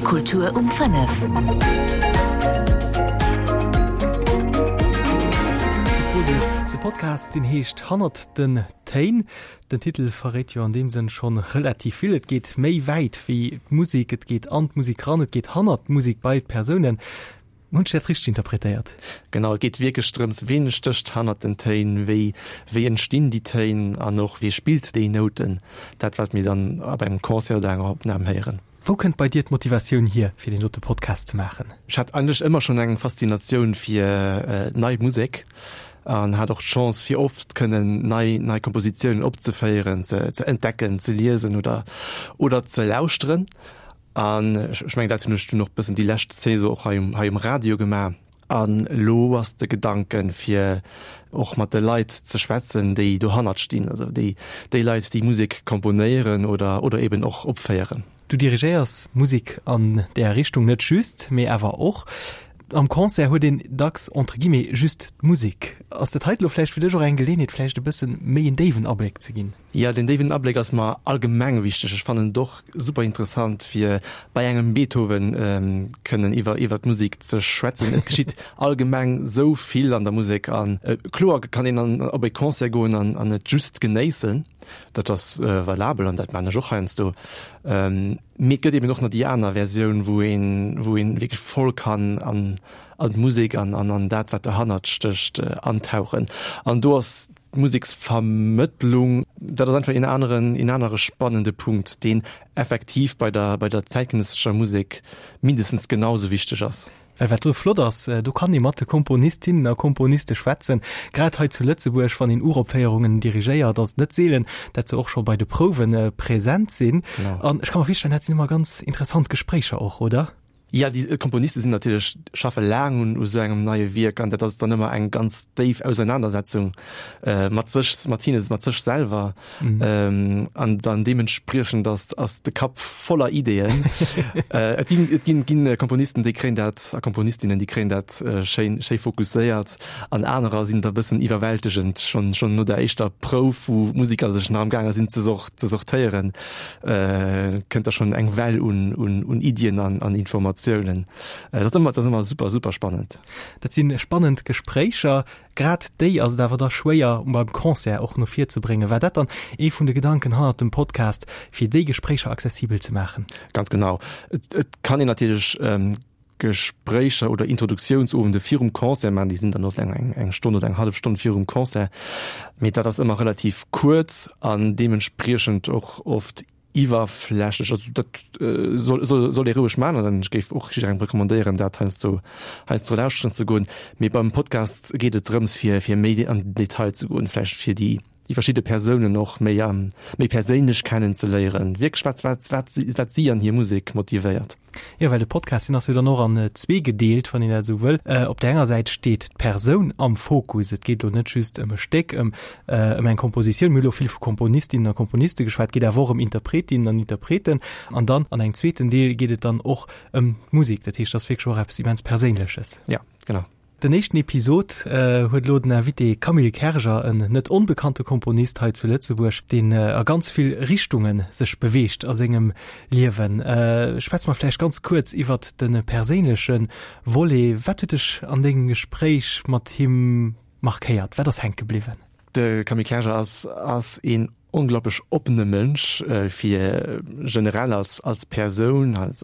Kultur um 5. De Podcast deen heescht Hannert den Téin. Den Titel verréit jo an deem Sënn schonn relativ vill. Et geet méi wäit wéi d'Musek, et geet an d'Musek ran, et geet hannert d'Musek bei d'Persounen. Hunn ech dat richteg interpretéiert? Genau, et geet wierklech drëms, ween stécht hannert den Téin, wéi, wéi entstinn déi Téin an och wee spillt déi Nouten, dat wat mir dann op engem Concert oder enger Opnam héieren. Wou kënnt bei dir d'Motivatioun hier, fir deen dote Podcast ze maachen? Ech hat eigentlech ëmmer schonn eng Faszinatioun fir nei Musek an hat och d'Chance fir oft kënnen nei, nei Kompositiounen opzeféieren, ze, ze entdecken, ze liesen oder, oder ze lauschteren. An ech mengen, dat hunn ech dunn och bëssen déi lescht Saison och hei um, hei um Radio gemaach. An elo ass de Gedanken, fir och mat de Leit ze schwätzen, déi dohannert stinn, also déi, déi Leit, déi Musek komponéieren oder, oder eben och opféieren. Du dirigéiers Musek an där Richtung net just, mee awer och. Am Concert huet een dacks entre guillemets just d'Musek. Ass dat heite lo vläicht fir dech och eng Geleeënheet, vläicht e bëssen méi en déiwen Abléck ze ginn? Jo, deen déiwen Abléck ass mer allgemeng wichteg. Ech fannen et och super interessant fir bei engem Beethoven kënnen iwwer iwwer d'Musek ze schwätzen. Et geschitt allgemeng sou vill an der Musek an kloer kann een an op e Concert goen an an et just genéissen. Dat ass valabel an dat maan ech och heiansdo. Mee et gëtt eben och nach déi aner Versioun, wou een wou een wierklech voll kann an an d'Musek an an an dat wat derhannert stécht antauchen. An do ass D'Museksvermëttlung, dat ass einfach een aneren, een anere spannende Punkt, deen effektiv bei der, bei der zäitgenëssescher Musek mindestens genau sou wichteg ass. Well wat do flott ass, do kann ee mat de Komponistinnen a Komponiste schwätzen. Grad hei zu Lëtzebuerg, wann een Uropféierungen dirigéiert, ass et net seelen, dat se och scho bei de Prouwe present sinn. An ech ka mer virstellen, dat sinn ëmmer ganz interessant Gespréicher och, oder? Jo, déi Komponiste sinn natierlech, schaffe laang un u sou engem neie Wierk an dat ass dann ëmmer eng ganz déif Ausernanersetzung mat sech, mat hinne, mat sech selwer. An dann deementspriechend ass, ass de Kapp voller Ideeën. Et ginn, et ginn, ginn Komponisten, déi kréien dat a Komponistinnen, déi kréien dat schéin, schéi fokusséiert an anerer sinn da bëssen iwwerwältegend schonn, schonn no der éischter Prouf, wou d'Musiker sech nach am gaange sinn ze ze sortéieren. Kënnt da schonn eng Well un, un, un Iddien an, an Informatiounen. Dat ass ëmmer, dat ass ëmmer super, super spannend. Dat si spannend Gespréicher. Grad déi ass et awer da schwéier beim Concert och no vir ze bréngen. War dat dann ee vun de Gedanken hannert dem Podcast, fir déi Gespréicher accessibel ze maachen? Ganz genau. Et, et kann een natierlech Gespréicher oder Introduktiounsowende virum Concert maachen, déi sinn dann oft eng, eng, eng Stonn oder eng hallef Stonn virum Concert, mee dat ass ëmmer relativ kuerz an deementspriechend och oft iwwerflächlech. Also dat soll, soll, soll ee roueg maachen an ech géif och jidderengem recommandéieren, dat heiansdo, heiansdo lauschteren ze goen. Mee beim Podcast geet et drëms, fir, fir méi an den Detail ze goen, vläicht fir déi, déi verschidde Persounen och méi méi perséinlech kennen ze léieren, wierklech wat wat wat si wat si an hir Musek motivéiert. Jo, well de Podcast, deen ass jo dann och an zwee gedeelt, wann een dat esou wëll. Op där enger Säit steet d'Persoun am Fokus. Et geet elo net just ëm e Stéck, ëm ëm eng Kompositioun. Mir hu elo vill vu Komponistinnen a Komponiste geschwat, et geet awer och ëm Interpretinnen an Interpreten. An dann an engem zweeten Deel geet et dann och ëm d'Musek. Dat heescht, dat ass wierklech och eppes immens Perséinleches. Ja, genau. Den éischten Episod huet elo den Invité Camille Kerger, en net onbekannte Komponist hei zu Lëtzebuerg, deen a ganz vill Richtunge sech beweegt a sengem Liewen. Schwätze mer vläicht ganz kuerz iwwert de perséinleche Volet. Wat huet dech an dengem Gespréich mat him markéiert? Wat ass hänke bliwwen? De Camille Kerger ass ass een onglaublich oppene Mënsch fir generell als als Persoun als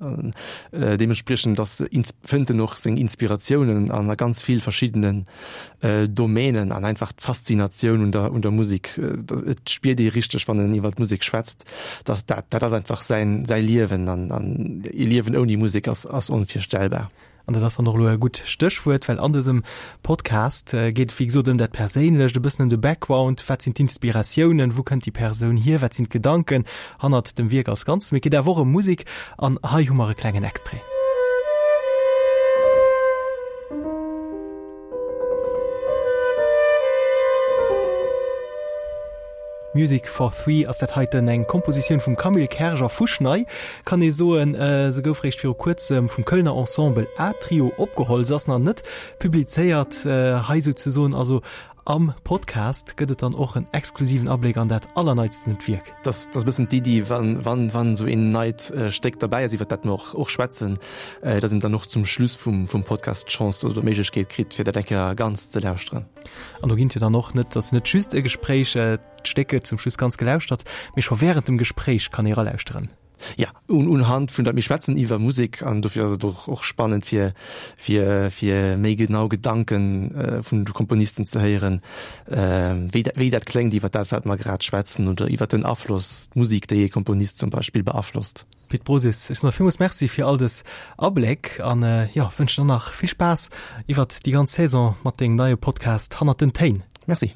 deementspriechend ass fënnt en och seng Inspiratiounen an a ganz vill verschiddenen Domänen an einfach d'Faszinatioun un der un der Musek. Et spiert ee richteg wann en iwwer d'Musek schwätzt, dass dat dat ass einfach säin säi Liewen an an ee Liewen ouni Musek ass ass onvirstellbar. An dat ass dann och elo e gutt Stéchwuert, well an dësem Podcast geet et wéi gesot ëm dat Perséinlecht, e bëssen ëm de Background, wat sinn d'Inspiratiounen, wou kënnt déi Persoun hier, wat sinn d'Gedanken hannert dem Wierk als Ganzes. Mee et geet awer och ëm Musek an hei hu mer e klengen Extrait. Music for Three ass dat heiten, eng Kompositioun vum Camille Kerger, fuschnei kann ee soen. Se gouf réischt viru kuerzem vum Kölner Ensemble A-Trio opgeholl, se ass nach net publizéiert hei souzesoen. Also. Am Podcast gëtt et dann och en exklusiven Abléck an dat allerneitstent Wierk. Dat ass e bëssen d'Iddi, wann, wann, wann esou een neit Stéck derbäi ass, iwwer dat mer och, och schwätzen, dass een dann och zum Schluss vum, vum Podcast d'Chance oder d'Méiglechkeet kritt, fir dat eng Kéier ganz ze lauschteren. An do ginn et jo dann och net, ass net just e Gespréich, d'Stéck gëtt zum Schluss ganz gelauschtert, mee scho wärend dem Gespréich kann ee ralauschteren. Ja, un, unhand vun der, mir schwätzen iwwer Musek an dofir ass et och, och spannend fir, fir, fir méi genau Gedanken vun de Komponisten ze héieren, wéi dat, wéi dat kléngt iwwer dat wat mer grad schwätzen oder iwwer den Afloss, d'Musek déi ee Komponist zum Beispill beaflosst. Pit Brosius, ech soen der villmools Merci fir all dës Abléck an, jo, wënschen der nach vill Spaass iwwert déi ganz Saison mat dengem neie Podcast Hannert den Téin. Merci.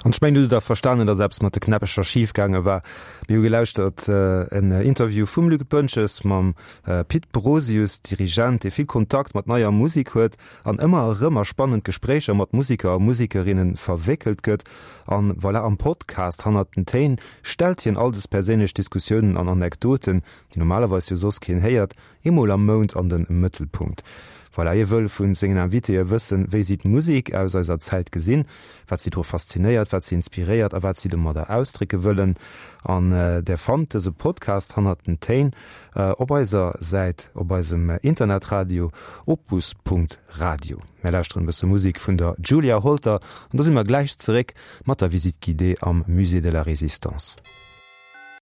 An ech mengen, du hutt da verstanen, dass eppes mat de Knäppecher schif gaange war. Mir hu gelauschtert en Interview vum Luc Boentges mam Pit Brosius, Dirigent, dee vill Kontakt mat neier Musek huet an ëmmer erëm a spannend Gespréicher mat Musiker a Musikerinne verwéckelt gëtt. An voilà, am Podcast Hannert den Téin stellt hien all des perséinlech Diskussiounen an Anekdoten, déi normalerweis jo soss keen héiert, Eemol am Mount an de Mëttelpunkt. Voilà, hie wëll vu sengen Invitéë wëssen, wéi si d'Musek aus eiser Zäit gesinn, wat si dru faszinéiert, wat si inspiréiert a wat si domadder ausdrécke wëllen. An där fannt dëse Podcast Hannert den Téin op eiser Säit op eisem Internetradio opus.radio. Mär lauschteren e bësse Musek vun der Julia Holter an da si mer gläich zeréck mat der Visite guidée am Musée de la Résistance.